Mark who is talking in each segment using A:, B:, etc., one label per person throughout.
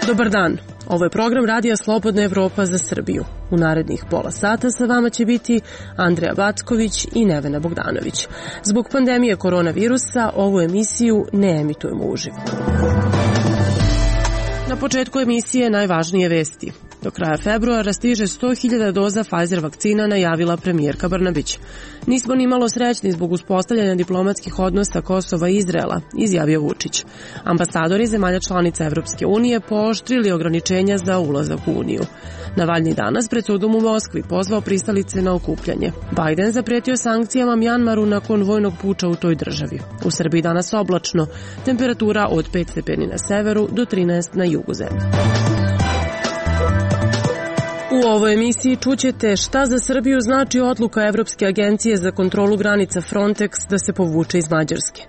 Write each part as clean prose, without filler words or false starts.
A: Dobar dan, ovo je program Radija Slobodna Evropa za Srbiju. U narednih pola sata sa vama će biti Andreja Backović i Nevena Bogdanović. Zbog pandemije koronavirusa ovu emisiju ne emitujemo uživo. Na početku emisije najvažnije vesti. Do kraja februara stiže 100.000 doza Pfizer vakcina, najavila premijerka Brnabić. Nismo ni malo srećni zbog uspostavljanja diplomatskih odnosa Kosova i Izraela, izjavio Vučić. Ambasadori zemalja članica Evropske unije pooštrili ograničenja za ulazak u Uniju. Navalnji danas pred sudom u Moskvi pozvao pristalice na okupljanje. Biden zapretio sankcijama Mjanmaru nakon vojnog puča u toj državi. U Srbiji danas oblačno, temperatura od 5 stepeni na severu do 13 na jugu zemlje. U ovoj emisiji čućete šta za Srbiju znači odluka Evropske agencije za kontrolu granica Frontex da se povuče iz Mađarske.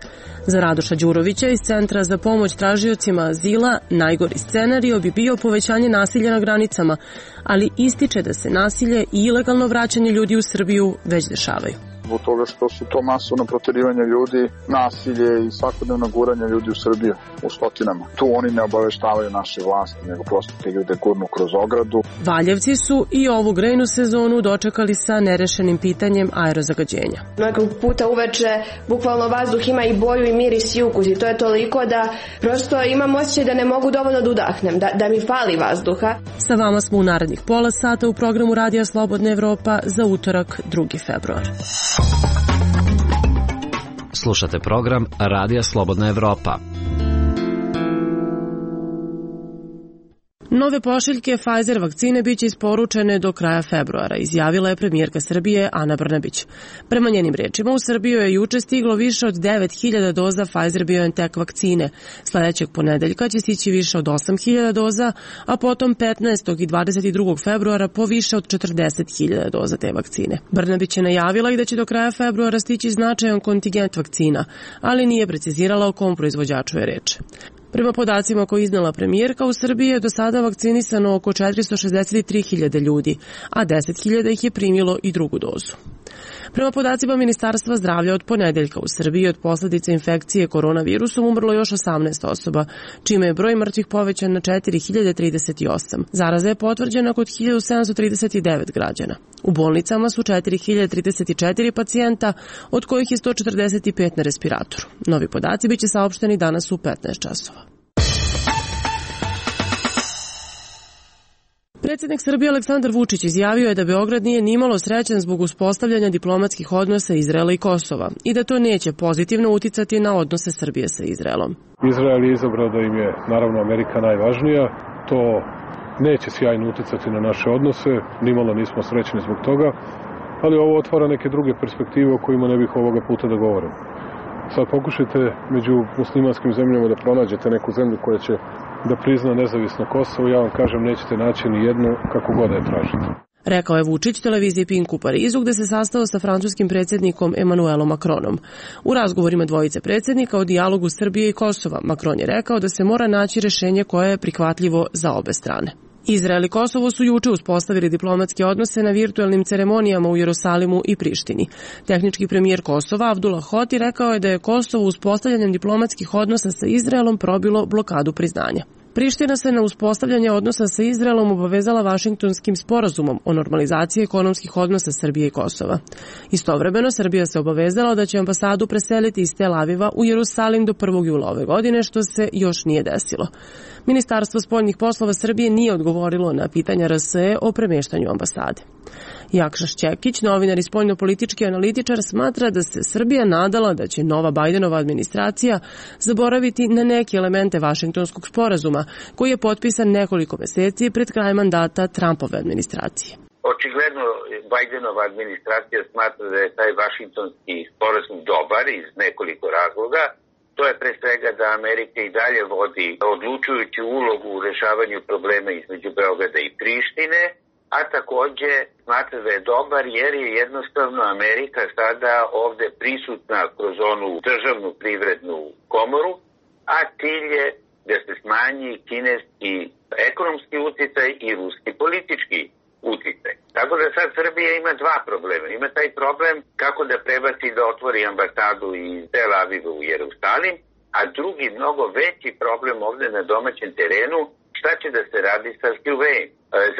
A: Za Radoša Đurovića iz Centra za pomoć tražiocima azila najgori scenario bi bio povećanje nasilja na granicama, ali ističe da se nasilje i ilegalno vraćanje ljudi u Srbiju već dešavaju.
B: Zbog toga što su to masovno proterivanje ljudi, nasilje i svakodnevno guranje ljudi u Srbiju u stotinama. Tu oni ne obaveštavaju naše vlasti, nego prosto te ljude gurnu kroz ogradu.
A: Valjevci su i ovu grejnu sezonu dočekali sa nerešenim pitanjem aerozagađenja.
C: Nekog puta uveče bukvalno vazduh ima i boju i miris i ukus i to je toliko da prosto imam osjećaj da ne mogu dovoljno da udahnem, da mi fali vazduha.
A: Sa vama smo u narednih pola sata u programu Radija Slobodna Evropa za utorak 2. februar.
D: Slušate program Radija Slobodna Evropa.
A: Nove pošiljke Pfizer vakcine biće isporučene do kraja februara, izjavila je premijerka Srbije Ana Brnabić. Prema njenim rečima, u Srbiju je juče stiglo više od 9.000 doza Pfizer-BioNTech vakcine. Sledećeg ponedeljka će stići više od 8.000 doza, a potom 15. i 22. februara po više od 40.000 doza te vakcine. Brnabić je najavila i da će do kraja februara stići značajan kontingent vakcina, ali nije precizirala o kom proizvođaču je reč. Prema podacima koje iznala premijerka, u Srbiji je do sada vakcinisano oko 463.000 ljudi, a 10.000 ih je primilo i drugu dozu. Prema podacima Ministarstva zdravlja, od ponedeljka u Srbiji od posljedica infekcije koronavirusom umrlo još 18 osoba, čime je broj mrtvih povećan na 4.038. Zaraza je potvrđena kod 1.739 građana. U bolnicama su 4.034 pacijenta, od kojih je 145 na respiratoru. Novi podaci biće saopšteni danas u 15 časova. Predsjednik Srbije Aleksandar Vučić izjavio je da Beograd nije nimalo srećan zbog uspostavljanja diplomatskih odnosa Izraela i Kosova i da to neće pozitivno uticati na odnose Srbije sa Izraelom.
E: Izrael je izabrao da im je, naravno, Amerika najvažnija. To neće sjajno uticati na naše odnose, nimalo nismo srećni zbog toga, ali ovo otvara neke druge perspektive o kojima ne bih ovoga puta da govorim. Sad pokušajte među muslimanskim zemljama da pronađete neku zemlju koja će da prizna nezavisno Kosovo, ja vam kažem, nećete naći ni jednu kako god da je tražite.
A: Rekao je Vučić televiziji Pink u Parizu, gde se sastao sa francuskim predsjednikom Emmanuelom Macronom. U razgovorima dvojice predsjednika o dijalogu Srbije i Kosova, Macron je rekao da se mora naći rešenje koje je prihvatljivo za obe strane. Izrael i Kosovo su juče uspostavili diplomatske odnose na virtuelnim ceremonijama u Jerusalimu i Prištini. Tehnički premijer Kosova Abdullah Hoti rekao je da je Kosovo uspostavljanjem diplomatskih odnosa sa Izraelom probilo blokadu priznanja. Priština se na uspostavljanje odnosa sa Izraelom obavezala Vašingtonskim sporazumom o normalizaciji ekonomskih odnosa Srbije i Kosova. Istovremeno, Srbija se obavezala da će ambasadu preseliti iz Tel Aviva u Jerusalim do 1. jula ove godine, što se još nije desilo. Ministarstvo spoljnih poslova Srbije nije odgovorilo na pitanja RSE o premeštanju ambasade. Jakša Šćekić, novinar i spoljnopolitički analitičar, smatra da se Srbija nadala da će nova Bidenova administracija zaboraviti na neke elemente Vašingtonskog sporazuma, koji je potpisan nekoliko meseci pred kraj mandata Trumpove administracije.
F: Očigledno Bidenova administracija smatra da je taj Vašingtonski sporazum dobar iz nekoliko razloga. To je pre svega da Amerika i dalje vodi odlučujuću ulogu u rešavanju problema između Beograda i Prištine, a takođe smatra da je dobar jer je jednostavno Amerika sada ovde prisutna kroz onu državnu privrednu komoru, a cilj je da se smanji kineski ekonomski uticaj i ruski politički uticaj. Tako Tako da sad Srbija ima dva problema. Ima taj problem kako da prebaci da otvori ambasadu iz Tel Aviva u Jerusalim, a drugi, mnogo veći problem ovde na domaćem terenu, šta će da se radi sa Huawei?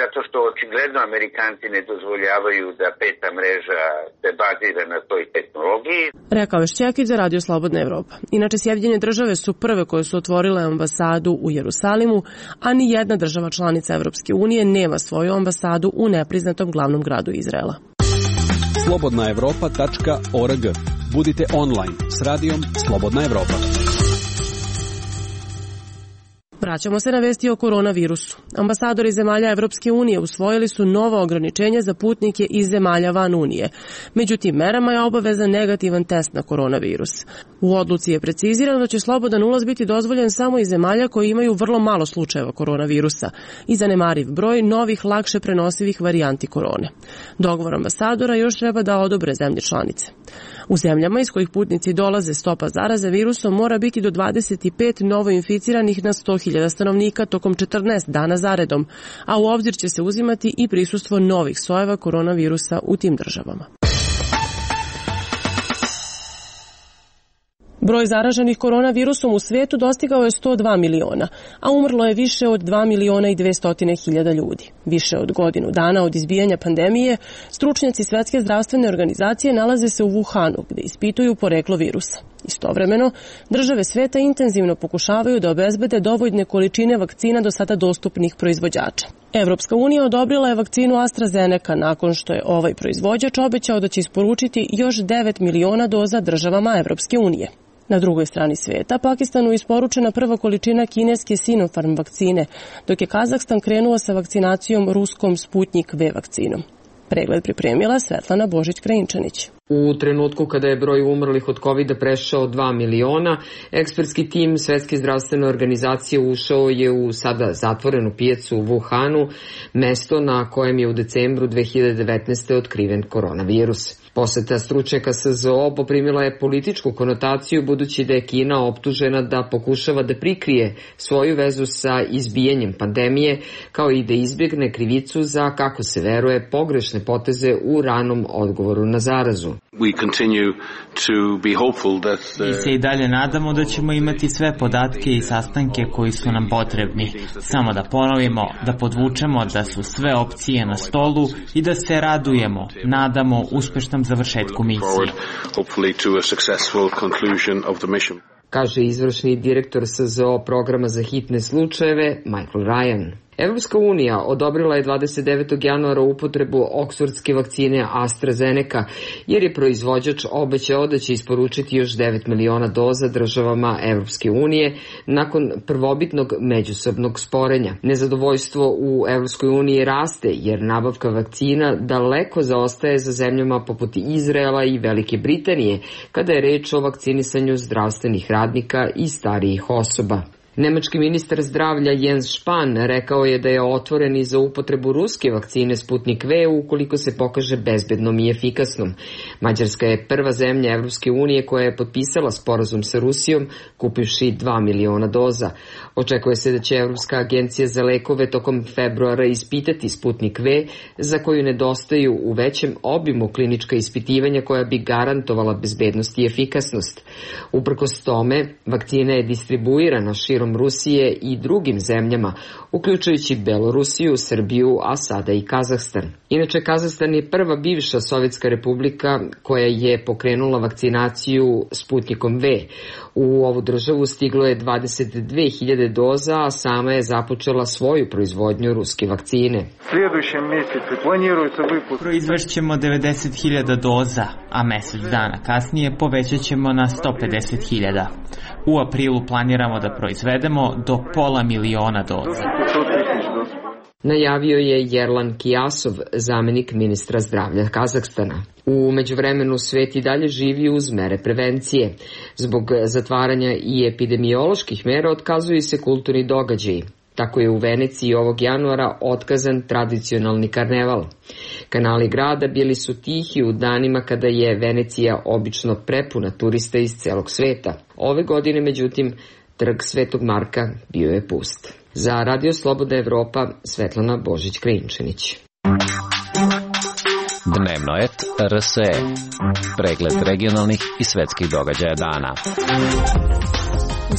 F: Zato što očigledno Amerikanci ne dozvoljavaju da peta mreža se bazira na toj tehnologiji.
A: Rekao je Šćekić za Radio Slobodna Evropa. Inače, Sjedinjene države su prve koje su otvorile ambasadu u Jerusalimu, a ni jedna država članica Evropske unije nema svoju ambasadu u nepriznatom glavnom gradu Izraela.
G: slobodnaevropa.org. Budite online s radijom Slobodna Evropa.
A: Vraćamo se na vesti o koronavirusu. Ambasadori zemalja Evropske unije usvojili su nova ograničenja za putnike iz zemalja van Unije. Među tim merama je obavezan negativan test na koronavirus. U odluci je precizirano da će slobodan ulaz biti dozvoljen samo iz zemalja koje imaju vrlo malo slučajeva koronavirusa i zanemariv broj novih lakše prenosivih varijanti korone. Dogovor ambasadora još treba da odobre zemlje članice. U zemljama iz kojih putnici dolaze stopa zaraze virusom mora biti do 25 novoinficiranih na 100.000 stanovnika tokom 14 dana zaredom, a u obzir će se uzimati i prisustvo novih sojeva koronavirusa u tim državama. Broj zaraženih koronavirusom u svijetu dostigao je 102 miliona, a umrlo je više od 2 miliona i 200.000 ljudi. Više od godinu dana od izbijanja pandemije, stručnjaci Svetske zdravstvene organizacije nalaze se u Wuhanu, gde ispituju poreklo virusa. Istovremeno, države sveta intenzivno pokušavaju da obezbede dovoljne količine vakcina do sada dostupnih proizvođača. Evropska unija odobrila je vakcinu AstraZeneca nakon što je ovaj proizvođač obećao da će isporučiti još 9 miliona doza državama Evropske unije. Na drugoj strani sveta, Pakistanu isporučena prva količina kineske Sinopharm vakcine, dok je Kazahstan krenuo sa vakcinacijom ruskom Sputnik V vakcinom. Pregled pripremila Svetlana Božić-Krajinčanić.
H: U trenutku kada je broj umrlih od COVID-a prešao 2 miliona, ekspertski tim Svetske zdravstvene organizacije ušao je u sada zatvorenu pijacu u Wuhanu, mesto na kojem je u decembru 2019. otkriven koronavirus. Poseta stručnjaka SZO poprimila je političku konotaciju budući da je Kina optužena da pokušava da prikrije svoju vezu sa izbijanjem pandemije, kao i da izbjegne krivicu za, kako se veruje, pogrešne poteze u ranom odgovoru na zarazu.
I: Mi se i dalje nadamo da ćemo imati sve podatke i sastanke koji su nam potrebni. Samo da ponovimo, da podvučemo da su sve opcije na stolu i da se radujemo, nadamo uspešnom završetku misije.
H: Kaže izvršni direktor SZO programa za hitne slučajeve Michael Ryan. Evropska unija odobrila je 29. januara upotrebu oksfordske vakcine AstraZeneca, jer je proizvođač obećao da će isporučiti još 9 miliona doza državama Evropske unije nakon prvobitnog međusobnog sporenja. Nezadovoljstvo u Evropskoj uniji raste, jer nabavka vakcina daleko zaostaje za zemljama poput Izraela i Velike Britanije, kada je reč o vakcinisanju zdravstvenih radnika i starijih osoba. Nemački ministar zdravlja Jens Spahn rekao je da je otvoren i za upotrebu ruske vakcine Sputnik V ukoliko se pokaže bezbednom i efikasnom. Mađarska je prva zemlja Evropske unije koja je potpisala sporazum sa Rusijom, kupivši 2 miliona doza. Očekuje se da će Evropska agencija za lekove tokom februara ispitati Sputnik V, za koju nedostaju u većem obimu klinička ispitivanja koja bi garantovala bezbednost i efikasnost. Uprkos tome, vakcina je distribuirana širom Rusije i drugim zemljama, uključujući Belorusiju, Srbiju, a sada i Kazahstan. Inače, Kazahstan je prva bivša sovjetska republika koja je pokrenula vakcinaciju Sputnikom V. U ovu državu stiglo je 22.000 doza, a sama je započela svoju proizvodnju ruske vakcine.
I: Proizvešćemo 90.000 doza, a mesec dana kasnije povećat ćemo na 150.000. U aprilu planiramo da proizvedemo do 500.000 doza.
H: Najavio je Yerlan Kijasov, zamenik ministra zdravlja Kazahstana. U međuvremenu svet i dalje živi uz mere prevencije. Zbog zatvaranja i epidemioloških mera otkazuju se kulturni događaji. Tako je u Veneciji ovog januara otkazan tradicionalni karneval. Kanali grada bili su tihi u danima kada je Venecija obično prepuna turista iz celog sveta. Ove godine, međutim, trg Svetog Marka bio je pust. Za Radio Slobodna Evropa, Svetlana Božić-Krajinčanić.
D: Dnevnoet RSE. Pregled regionalnih i svetskih događaja dana.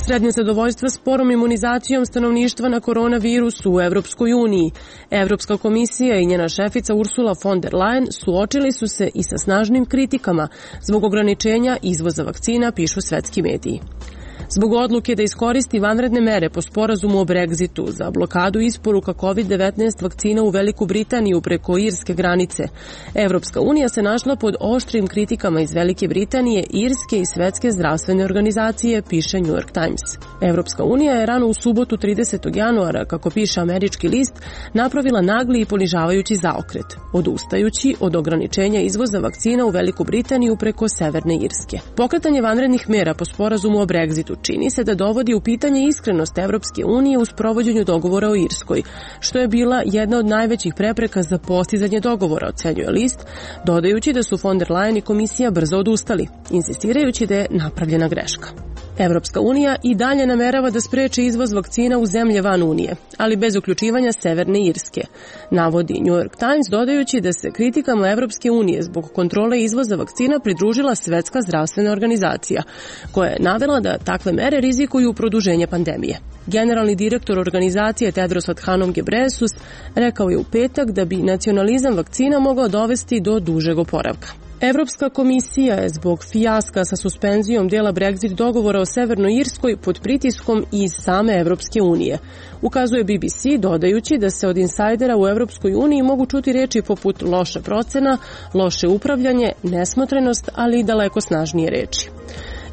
A: Srednje zadovoljstva sporom imunizacijom stanovništva na koronavirusu u Evropskoj uniji. Evropska komisija i njena šefica Ursula von der Leyen suočili su se i sa snažnim kritikama zbog ograničenja izvoza vakcina, pišu svetski mediji. Zbog odluke da iskoristi vanredne mere po sporazumu o Brexitu za blokadu isporuka COVID-19 vakcina u Veliku Britaniju preko irske granice, Evropska unija se našla pod oštrim kritikama iz Velike Britanije, Irske i Svetske zdravstvene organizacije, piše New York Times. Evropska unija je rano u subotu 30. januara, kako piše američki list, napravila nagli i ponižavajući zaokret, odustajući od ograničenja izvoza vakcina u Veliku Britaniju preko Severne Irske. Pokretanje vanrednih mera po sporazumu o Brexitu čini se da dovodi u pitanje iskrenost Evropske unije u sprovođenju dogovora o Irskoj, što je bila jedna od najvećih prepreka za postizanje dogovora, ocenjuje list, dodajući da su von der Leyen i komisija brzo odustali, insistirajući da je napravljena greška. Evropska unija i dalje namerava da spreči izvoz vakcina u zemlje van Unije, ali bez uključivanja Severne Irske, navodi New York Times, dodajući da se kritikama Evropske unije zbog kontrole izvoza vakcina pridružila Svetska zdravstvena organizacija, koja je navela da takve mere rizikuju produženje pandemije. Generalni direktor organizacije Tedros Adhanom Ghebreyesus rekao je u petak da bi nacionalizam vakcina mogao dovesti do dužeg oporavka. Evropska komisija je zbog fijaska sa suspenzijom dela Brexit dogovora o Severnoj Irskoj pod pritiskom iz same Evropske unije, ukazuje BBC, dodajući da se od insajdera u Evropskoj uniji mogu čuti reči poput loša procena, loše upravljanje, nesmotrenost, ali i daleko snažnije reči.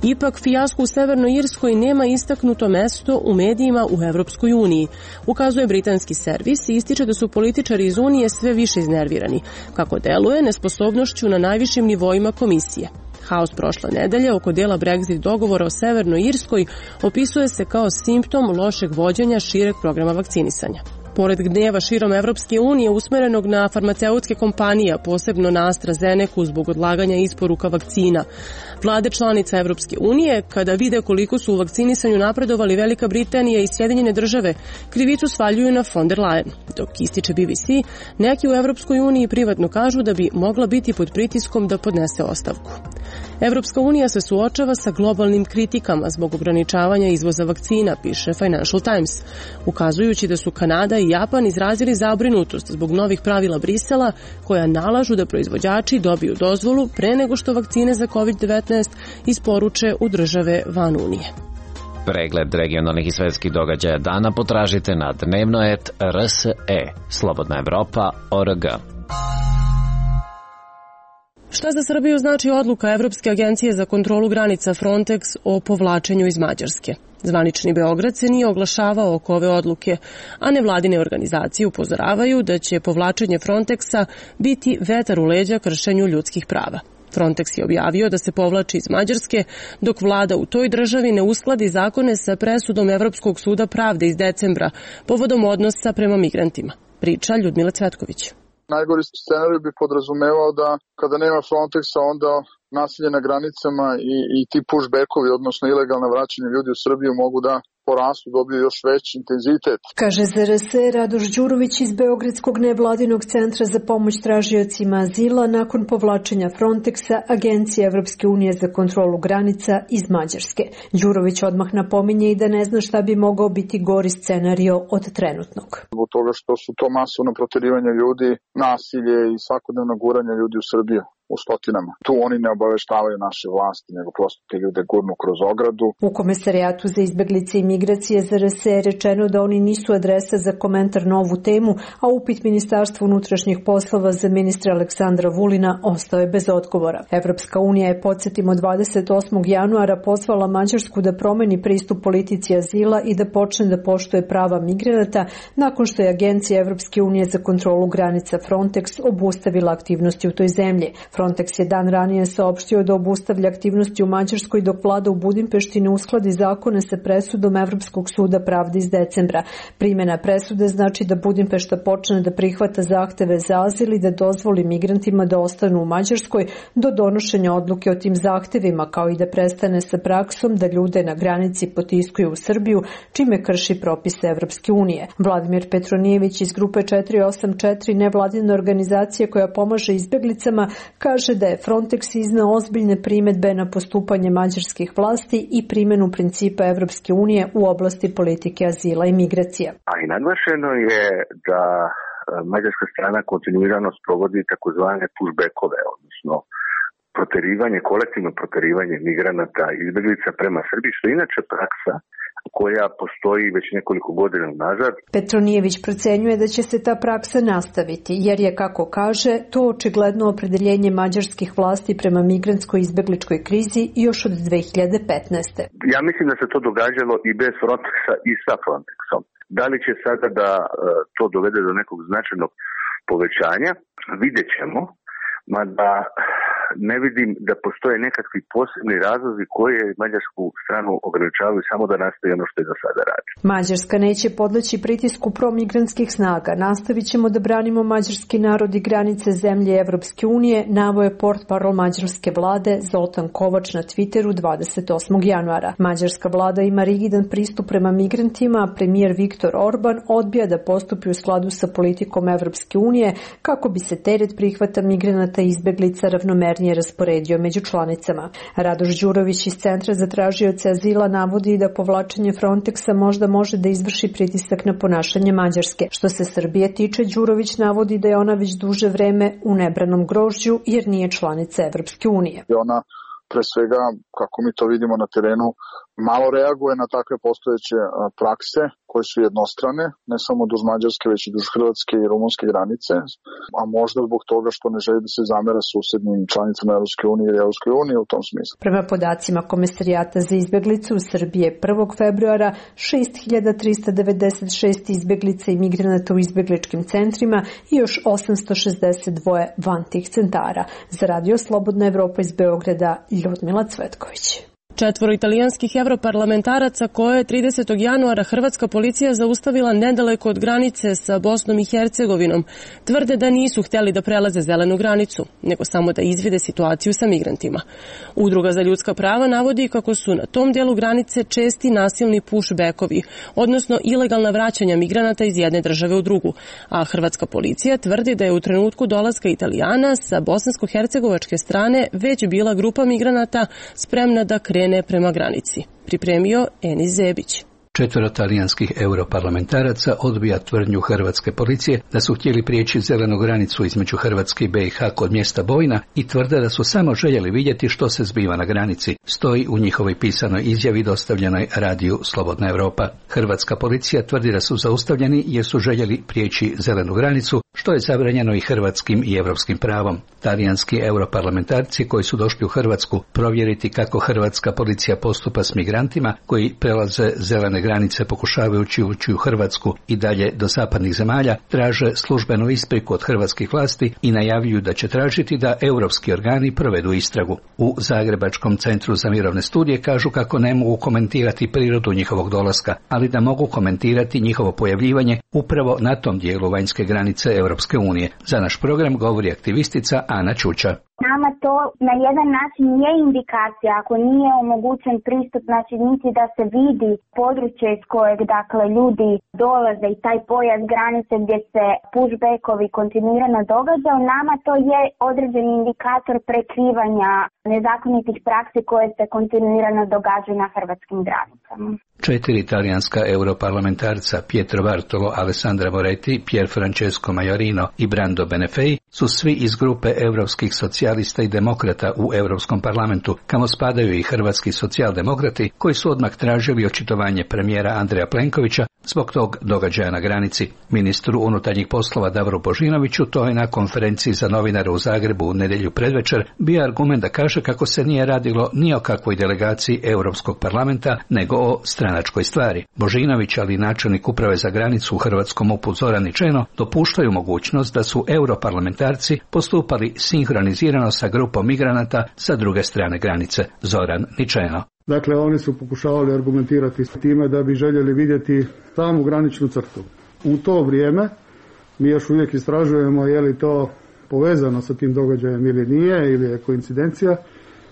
A: Ipak, fijasko u Severnoj Irskoj nema istaknuto mesto u medijima u Evropskoj uniji, ukazuje britanski servis i ističe da su političari iz Unije sve više iznervirani, kako deluje nesposobnošću na najvišim nivoima komisije. Haos prošle nedelje oko dela Brexit dogovora o Severnoj Irskoj opisuje se kao simptom lošeg vođenja šireg programa vakcinisanja. Pored gneva širom Evropske unije usmerenog na farmaceutske kompanije, posebno na AstraZenecu zbog odlaganja isporuka vakcina, vlade članica Evropske unije, kada vide koliko su u vakcinisanju napredovali Velika Britanija i Sjedinjene države, krivicu svaljuju na von der Leyen. Dok ističe BBC, neki u Evropskoj uniji privatno kažu da bi mogla biti pod pritiskom da podnese ostavku. Evropska unija se suočava sa globalnim kritikama zbog ograničavanja izvoza vakcina, piše Financial Times, ukazujući da su Kanada i Japan izrazili zabrinutost zbog novih pravila Brisela koja nalažu da proizvođači dobiju dozvolu pre nego što vakcine za COVID-19 isporuče u države van Unije.
D: Pregled regionalnih i svetskih događaja dana potražite na Dnevnoet RSE, Slobodna Evropa.org.
A: Šta za Srbiju znači odluka Evropske agencije za kontrolu granica Frontex o povlačenju iz Mađarske? Zvanični Beograd se nije oglašavao oko ove odluke, a nevladine organizacije upozoravaju da će povlačenje Frontexa biti vetar u leđa kršenju ljudskih prava. Frontex je objavio da se povlači iz Mađarske, dok vlada u toj državi ne uskladi zakone sa presudom Evropskog suda pravde iz decembra povodom odnosa prema migrantima. Priča Ljudmila Cvetković.
B: Najgori scenarij bi podrazumevao da kada nema Frontexa, onda nasilje na granicama i ti pushbackovi, odnosno ilegalno vraćanje ljudi u Srbiju mogu da porastu, dobiju još veći intenzitet.
J: Kaže za RSE Radoš Đurović iz Beogradskog nevladinog centra za pomoć tražiocima azila nakon povlačenja Frontexa, Agencije Evropske unije za kontrolu granica iz Mađarske. Đurović odmah napominje i da ne zna šta bi mogao biti gori scenario od trenutnog.
B: Zbog toga što su to masovno proterivanje ljudi, nasilje i svakodnevno guranje ljudi u Srbiju u stotinama. Tu oni ne obaveštavaju naše vlasti, nego prosto te ljude gurnu kroz ogradu.
J: U Komesarijatu za izbeglice i migracije za RSE je rečeno da oni nisu adresa za komentar na ovu temu, a upit Ministarstva unutrašnjih poslova za ministra Aleksandra Vulina ostao je bez odgovora. Evropska unija je, podsjetimo, 28. januara pozvala Mađarsku da promeni pristup politici azila i da počne da poštuje prava migranata nakon što je Agencija Evropske unije za kontrolu granica Frontex obustavila aktivnosti u toj zemlji. Frontex je dan ranije saopštio da obustavlja aktivnosti u Mađarskoj dok vlada u Budimpešti ne uskladi zakone sa presudom Evropskog suda pravde iz decembra. Primjena presude znači da Budimpešta počne da prihvata zahteve za azil i da dozvoli migrantima da ostanu u Mađarskoj do donošenja odluke o tim zahtevima, kao i da prestane sa praksom da ljude na granici potiskuju u Srbiju, čime krši propise Evropske unije. Vladimir Petronijević iz grupe 484 nevladine organizacije koja pomaže izbeglicama kaže da je Frontex izneo ozbiljne primedbe na postupanje mađarskih vlasti i primjenu principa Evropske unije u oblasti politike azila i migracija.
K: A i naglašeno je da mađarska strana kontinuirano sprovodi takozvane pushbackove, odnosno kolektivno proterivanje migranata i izbeglica prema Srbiji, što je inače praksa koja postoji već nekoliko godina nazad.
J: Petronijević procenjuje da će se ta praksa nastaviti, jer je, kako kaže, to očigledno opredeljenje mađarskih vlasti prema migrantskoj izbegličkoj krizi još od 2015.
K: Ja mislim da se to događalo i bez Frontexa i sa Frontexom. Da li će sada da to dovede do nekog značajnog povećanja, vidjet ćemo, mada ne vidim da postoje nekakvi posebni razlozi koje mađarsku stranu ograničavaju samo da nastavi ono što je do sada radi.
J: Mađarska neće podleći pritisku promigrantskih snaga. Nastavit ćemo da branimo mađarski narod i granice zemlje Evropske unije, naveo je portparol mađarske vlade Zoltan Kovač na Twitteru 28. januara. Mađarska vlada ima rigidan pristup prema migrantima, a premijer Viktor Orban odbija da postupi u skladu sa politikom Evropske unije kako bi se teret prihvata migranata i izbeglica ravnomerno rasporedio među članicama. Radoš Đurović iz Centra za tražioce azila navodi da povlačenje Frontexa možda može da izvrši pritisak na ponašanje Mađarske. Što se Srbije tiče, Đurović navodi da je ona već duže vreme u nebranom grožđu jer nije članica Evropske unije.
B: Ona pre svega, kako mi to vidimo na terenu, malo reaguje na takve postojeće prakse koje su jednostrane, ne samo duž Mađarske, već i duž Hrvatske i rumunske granice, a možda zbog toga što ne želi da se zamera susednim članicama Evropske unije ili Evropske unije u tom smislu.
J: Prema podacima Komesarijata za izbeglice u Srbije 1. februara 6.396 izbeglica i migranata u izbegličkim centrima i još 862 van tih centara. Za Radio Slobodna Evropa iz Beograda, Ljudmila Cvetković.
A: 4 italijanskih europarlamentaraca koje je 30. januara hrvatska policija zaustavila nedaleko od granice sa Bosnom i Hercegovinom tvrde da nisu htjeli da prelaze zelenu granicu, nego samo da izvide situaciju sa migrantima. Udruga za ljudska prava navodi kako su na tom dijelu granice česti nasilni pushbackovi, odnosno ilegalna vraćanja migranata iz jedne države u drugu, a hrvatska policija tvrdi da je u trenutku dolaska Italijana sa bosansko-hercegovačke strane već bila grupa migranata spremna da krene prema granici. Pripremio Enis Zebić.
L: 4 talijanskih europarlamentaraca odbija tvrdnju hrvatske policije da su htjeli prijeći zelenu granicu između Hrvatske i BiH kod mjesta Bojna i tvrde da su samo željeli vidjeti što se zbiva na granici, stoji u njihovoj pisanoj izjavi dostavljenoj Radiju Slobodna Evropa. Hrvatska policija tvrdi da su zaustavljeni jer su željeli prijeći zelenu granicu, što je zabranjeno i hrvatskim i europskim pravom. Talijanski europarlamentarci koji su došli u Hrvatsku provjeriti kako hrvatska policija postupa s migrantima koji prelaze zelene granice pokušavajući ući u Hrvatsku i dalje do zapadnih zemalja, traže službenu ispriku od hrvatskih vlasti i najavljuju da će tražiti da europski organi provedu istragu. U Zagrebačkom centru za mirovne studije kažu kako ne mogu komentirati prirodu njihovog dolaska, ali da mogu komentirati njihovo pojavljivanje upravo na tom dijelu vanjske granice Europske unije. Za naš program govori aktivistica Ana Čuča.
M: Nama to na jedan način je indikacija, ako nije omogućen pristup, znači niti da se vidi područje iz kojeg dakle ljudi dolaze i taj pojas granice gdje se pushbackovi kontinuirano događaju, nama to je određeni indikator prekrivanja nezakonitih praksi koje se kontinuirano događaju na hrvatskim granicama.
L: 4 talijanska europarlamentarca Pietro Bartolo, Alessandra Moretti, Pier Francesco Majorino i Brando Benefei su svi iz grupe europskih socijalista i demokrata u Europskom parlamentu, kamo spadaju i hrvatski socijaldemokrati koji su odmah tražili očitovanje premijera Andreja Plenkovića zbog tog događaja na granici. Ministru unutarnjih poslova Davoru Božinoviću to je na konferenciji za novinare u Zagrebu u nedjelju predvečer bio argument da kaže kaže kako se nije radilo ni o kakvoj delegaciji Europskog parlamenta, nego o stranačkoj stvari. Božinović, ali i načelnik uprave za granicu u hrvatskom MUP-u Zoran Ničeno, dopuštaju mogućnost da su europarlamentarci postupali sinhronizirano sa grupom migranata sa druge strane granice. Zoran Ničeno.
N: Dakle, oni su pokušavali argumentirati s time da bi željeli vidjeti samu graničnu crtu. U to vrijeme mi još uvijek istražujemo je li to povezano sa tim događajem ili nije, ili je koincidencija.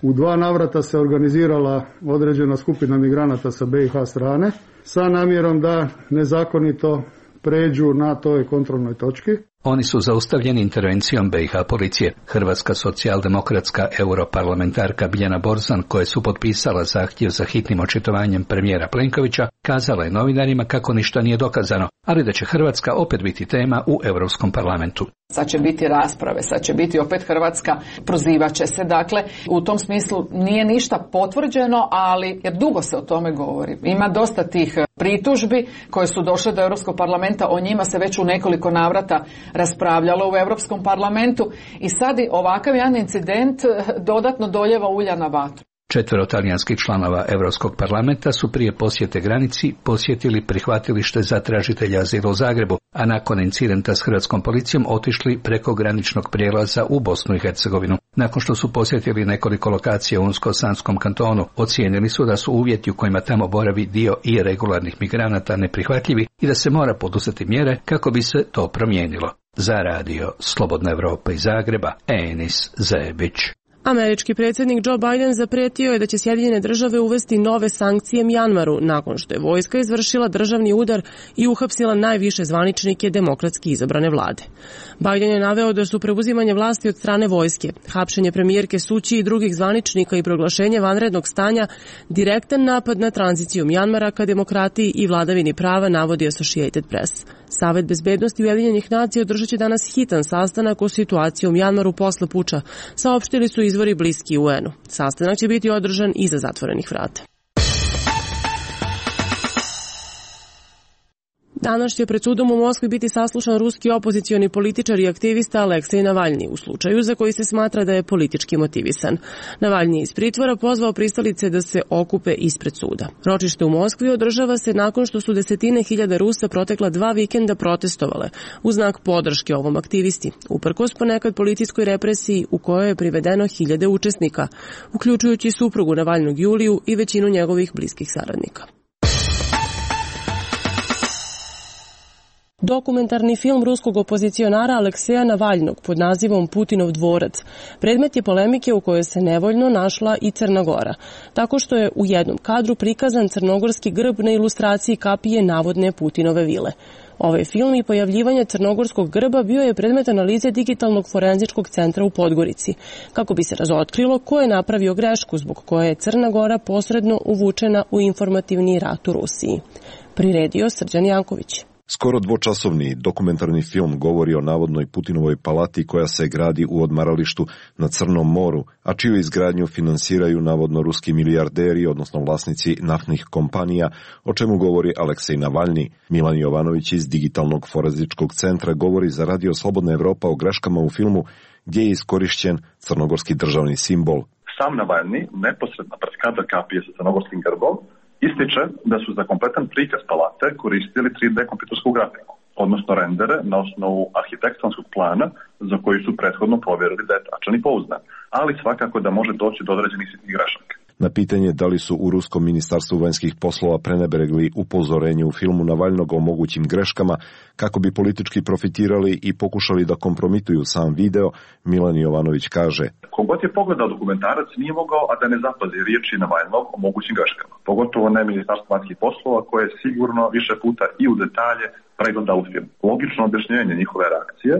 N: U 2 navrata se organizirala određena skupina migranata sa BiH strane sa namjerom da nezakonito pređu na toj kontrolnoj točki.
L: Oni su zaustavljeni intervencijom BiH policije. Hrvatska socijaldemokratska europarlamentarka Biljana Borzan, koja su potpisala zahtjev za hitnim očitovanjem premijera Plenkovića, kazala je novinarima kako ništa nije dokazano, ali da će Hrvatska opet biti tema u Europskom parlamentu.
O: Sad će biti rasprave, sad će biti opet Hrvatska, prozivat će se. Dakle, u tom smislu nije ništa potvrđeno, ali jer dugo se o tome govori. Ima dosta tih pritužbi koje su došle do Europskog parlamenta, o njima se već u nekoliko navrata raspravljalo u Europskom parlamentu i sad ovakav jedan incident dodatno doljeva ulja na vatru.
L: 4 talijanskih članova Europskog parlamenta su prije posjete granici posjetili prihvatilište za tražitelja azila u Zagrebu, a nakon incidenta s hrvatskom policijom otišli preko graničnog prijelaza u Bosnu i Hercegovinu. Nakon što su posjetili nekoliko lokacija u Unsko-Sanskom kantonu, ocijenili su da su uvjeti u kojima tamo boravi dio irregularnih migranata neprihvatljivi i da se mora poduzeti mjere kako bi se to promijenilo. Za radio Slobodna Evropa iz Zagreba, Enis Zebić.
A: Američki predsjednik Joe Biden zapretio je da će Sjedinjene države uvesti nove sankcije Mjanmaru nakon što je vojska izvršila državni udar i uhapsila najviše zvaničnike demokratski izabrane vlade. Biden je naveo da su preuzimanje vlasti od strane vojske, hapšenje premijerke Suu Kyi i drugih zvaničnika i proglašenje vanrednog stanja direktan napad na tranziciju Mjanmara ka demokratiji i vladavini prava, navodi Associated Press. Savet bezbednosti Ujedinjenih nacija održat će danas hitan sastanak o situaciji u Mjanmaru posle puča, saopštili su izvori bliski UN-u. Sastanak će biti održan iza zatvorenih vrata. Danas će pred sudom u Moskvi biti saslušan ruski opozicioni političar i aktivista Aleksej Navalni u slučaju za koji se smatra da je politički motivisan. Navalni je iz pritvora pozvao pristalice da se okupe ispred suda. Ročište u Moskvi održava se nakon što su desetine hiljada Rusa protekla 2 vikenda protestovale u znak podrške ovom aktivisti, uprkos ponekad policijskoj represiji u kojoj je privedeno hiljade učesnika, uključujući suprugu Navalnog Juliju i većinu njegovih bliskih saradnika. Dokumentarni film ruskog opozicionara Alekseja Navalnog pod nazivom Putinov dvorac predmet je polemike u kojoj se nevoljno našla i Crna Gora, tako što je u jednom kadru prikazan crnogorski grb na ilustraciji kapije navodne Putinove vile. Ovaj film i pojavljivanje crnogorskog grba bio je predmet analize digitalnog forenzičkog centra u Podgorici, kako bi se razotkrilo ko je napravio grešku zbog koje je Crna Gora posredno uvučena u informativni rat u Rusiji. Priredio Srđan Janković.
P: Skoro dvočasovni dokumentarni film govori o navodnoj Putinovoj palati koja se gradi u odmaralištu na Crnom moru, a čiju izgradnju finansiraju navodno ruski milijarderi, odnosno vlasnici naftnih kompanija, o čemu govori Aleksej Navalni. Milan Jovanović iz Digitalnog forenzičkog centra govori za Radio Slobodna Evropa o greškama u filmu gdje je iskorišćen crnogorski državni simbol.
Q: Sam Navalni, neposredno pred kadar kapije sa crnogorskim grbom, ističe da su za kompletan prikaz palate koristili 3D kompjutersku grafiku, odnosno rendere na osnovu arhitektonskog plana za koji su prethodno provjerili da je tačan i pouzdan, ali svakako da može doći do određenih sitnih grešaka.
P: Na pitanje da li su u Ruskom ministarstvu vanjskih poslova prenebregli upozorenje u filmu Navalnog o mogućim greškama kako bi politički profitirali i pokušali da kompromituju sam video, Milan Jovanović kaže:
Q: Kogod je pogledao dokumentarac nije mogao a da ne zapazi riječi Navalnog o mogućim greškama, pogotovo ne ministarstvo vanjskih poslova koje je sigurno više puta i u detalje pregledalo film. Logično objašnjenje njihove reakcije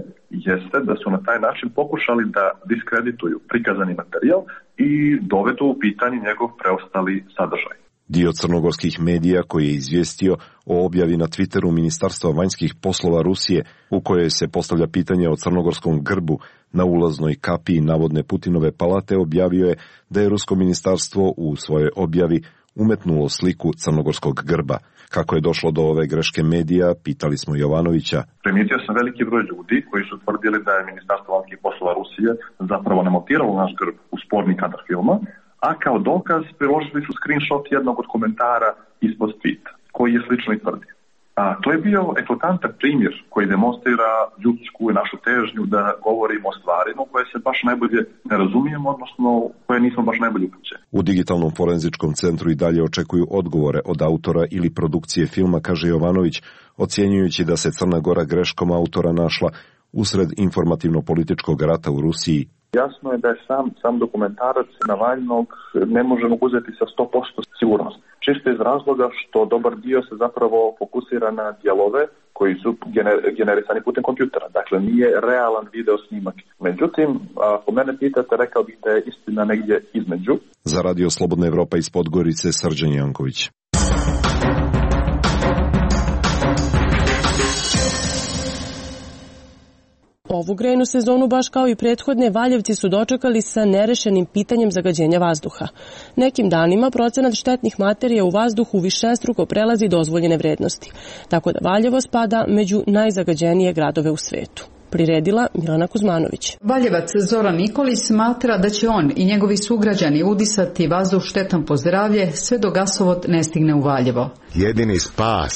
Q: jeste da su na taj način pokušali da diskredituju prikazani materijal i dovedu u pitanje njegov preostali sadržaj.
P: Dio crnogorskih medija koji je izvijestio o objavi na Twitteru Ministarstva vanjskih poslova Rusije u kojoj se postavlja pitanje o crnogorskom grbu na ulaznoj kapiji navodne Putinove palate objavio je da je Rusko ministarstvo u svojoj objavi umetnulo sliku crnogorskog grba. Kako je došlo do ove greške medija, pitali smo Jovanovića.
Q: Primijetio sam veliki broj ljudi koji su tvrdili da je Ministarstvo vanjskih poslova Rusije zapravo nemontiralo naš grb uz sporni kadar filma, a kao dokaz priložili su screenshot jednog od komentara ispod tweeta, koji je slično i tvrdio. To je bio eklatantan primjer koji demonstrira ljudsku i našu težnju da govorimo o stvarima koje se baš najbolje ne razumijemo, odnosno koje nismo baš najbolje upućeni.
P: U Digitalnom forenzičkom centru i dalje očekuju odgovore od autora ili produkcije filma, kaže Jovanović, ocjenjujući da se Crna Gora greškom autora našla usred informativno-političkog rata u Rusiji.
Q: Jasno je da je sam dokumentarac Navalnog ne možemo uzeti sa 100% sigurnost. Čisto iz razloga što dobar dio se zapravo fokusira na dijelove koji su generisani putem kompjutera. Dakle, nije realan video snimak. Međutim, ako mene pitate, rekao bih da je istina negdje između.
P: Za Radio Slobodna Evropa iz Podgorice, Srđan Janković.
A: Ovu grejnu sezonu, baš kao i prethodne, Valjevci su dočekali sa nerešenim pitanjem zagađenja vazduha. Nekim danima procenat štetnih materija u vazduhu višestruko prelazi dozvoljene vrednosti, tako da Valjevo spada među najzagađenije gradove u svetu. Priredila Milana Kuzmanović.
R: Valjevac Zoran Nikolić smatra da će on i njegovi sugrađani udisati vazduh štetan po zdravlje sve dok gasovod ne stigne u Valjevo.
S: Jedini spas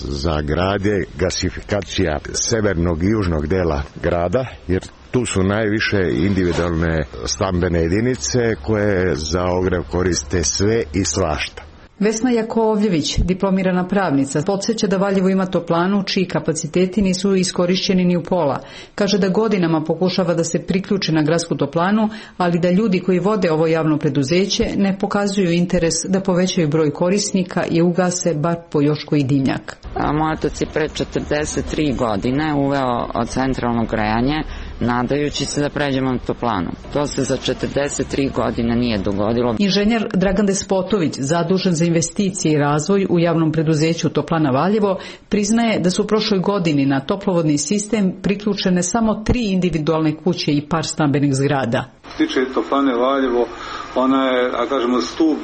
S: za grad je gasifikacija severnog i južnog dela grada, jer tu su najviše individualne stambene jedinice koje za ogrev koriste sve i svašta.
R: Vesna Jakovljević, diplomirana pravnica, podsjeća da Valjevo ima toplanu čiji kapaciteti nisu iskorišćeni ni u pola. Kaže da godinama pokušava da se priključi na gradsku toplanu, ali da ljudi koji vode ovo javno preduzeće ne pokazuju interes da povećaju broj korisnika i ugase bar po još koji dimnjak.
T: Moj otac je pre 43 godine uveo centralno grejanje, nadajući se da pređemo na toplanu. To se za 43 godine nije dogodilo.
R: Inženjer Dragan Despotović, zadužen za investicije i razvoj u javnom preduzeću Toplana Valjevo, priznaje da su u prošloj godini na toplovodni sistem priključene samo 3 individualne kuće i par stambenih zgrada.
U: Tiče Toplane Valjevo, ona je, a kažemo, stub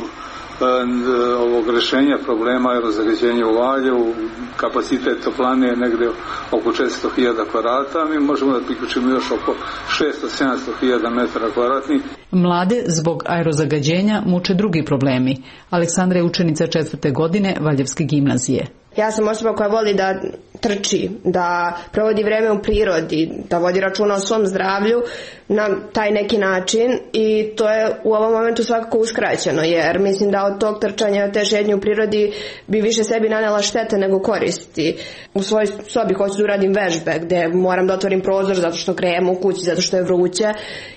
U: ovog rešenja problema aerozagađenja u Valjevu. Kapacitet toplane je negde oko 400.000 kvadrata, mi možemo da priključimo još oko 600-700.000 metara kvadratnih.
R: Mlade zbog aerozagađenja muče drugi problemi. Aleksandra je učenica 4. godine Valjevske gimnazije.
C: Ja sam osoba koja voli da trči, da provodi vreme u prirodi, da vodi računa o svom zdravlju na taj neki način i to je u ovom momentu svakako uskraćeno, jer mislim da od tog trčanja, od te žednje u prirodi bi više sebi nanela štete nego koristi. U svojoj sobi hoću da uradim vežbe gde moram da otvorim prozor zato što grejemo u kući, zato što je vruće.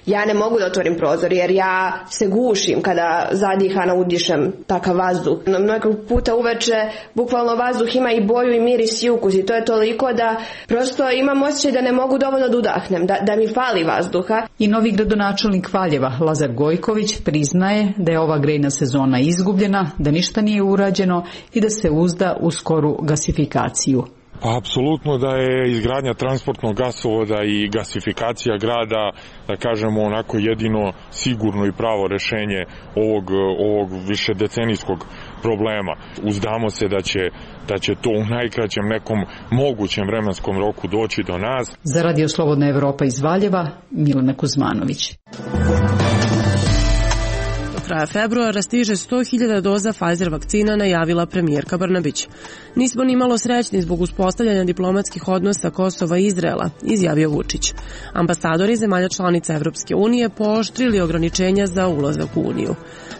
C: Ja ne mogu da otvorim prozor jer ja se gušim kada zadihana udišem takav vazduh. Mnogo puta uveče bukvalno vazduh ima i boju i miris i ukus i to je toliko da prosto imam osjećaj da ne mogu dovoljno da udahnem, da mi fali vazduha.
R: I novi gradonačelnik Valjeva, Lazar Gojković, priznaje da je ova grejna sezona izgubljena, da ništa nije urađeno i da se uzda u skoru gasifikaciju.
V: Apsolutno da je izgradnja transportnog gasovoda i gasifikacija grada, da kažemo, onako jedino sigurno i pravo rešenje ovog višedecenijskog problema. Uzdamo se da će to u najkraćem nekom mogućem vremenskom roku doći do nas.
R: Za Radio Slobodna Evropa iz Valjeva, Milana Kuzmanović.
A: Kraja februara stiže 100.000 doza Pfizer vakcina, najavila premijerka Brnabić. Nismo ni malo srećni zbog uspostavljanja diplomatskih odnosa Kosova i Izraela, izjavio Vučić. Ambasadori zemalja članica Evropske unije pooštrili ograničenja za ulazak u Uniju.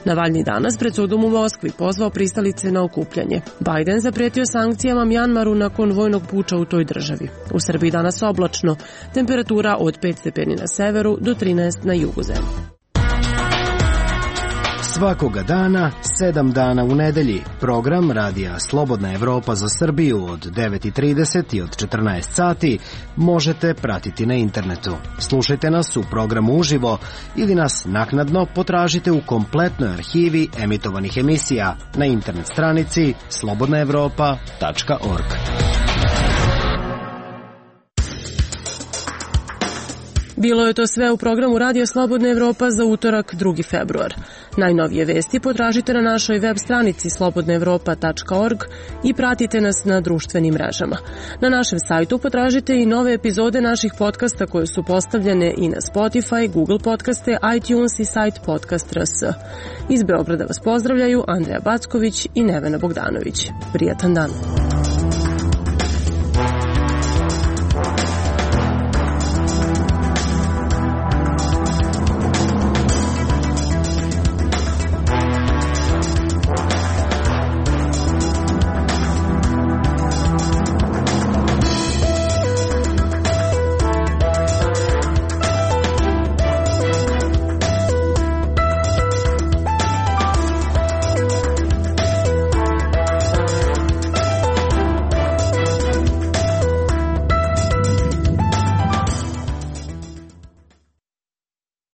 A: Navalnji danas pred sudom u Moskvi pozvao pristalice na okupljanje. Bajden zapretio sankcijama Mjanmaru nakon vojnog puča u toj državi. U Srbiji danas oblačno, temperatura od 5 stepeni na severu do 13 na jugu zemlje.
W: Svakoga dana, 7 dana u nedelji, program Radija Slobodna Evropa za Srbiju od 9:30 i od 14 sati možete pratiti na internetu. Slušajte nas u programu uživo ili nas naknadno potražite u kompletnoj arhivi emitovanih emisija na internet stranici slobodnaevropa.org.
A: Bilo je to sve u programu Radio Slobodna Evropa za utorak 2. februar. Najnovije vesti potražite na našoj web stranici slobodnaevropa.org i pratite nas na društvenim mrežama. Na našem sajtu potražite i nove epizode naših podcasta koje su postavljene i na Spotify, Google podcaste, iTunes i sajt Podcast.rs. Iz Beograda vas pozdravljaju Andreja Backović i Nevena Bogdanović. Prijatan dan.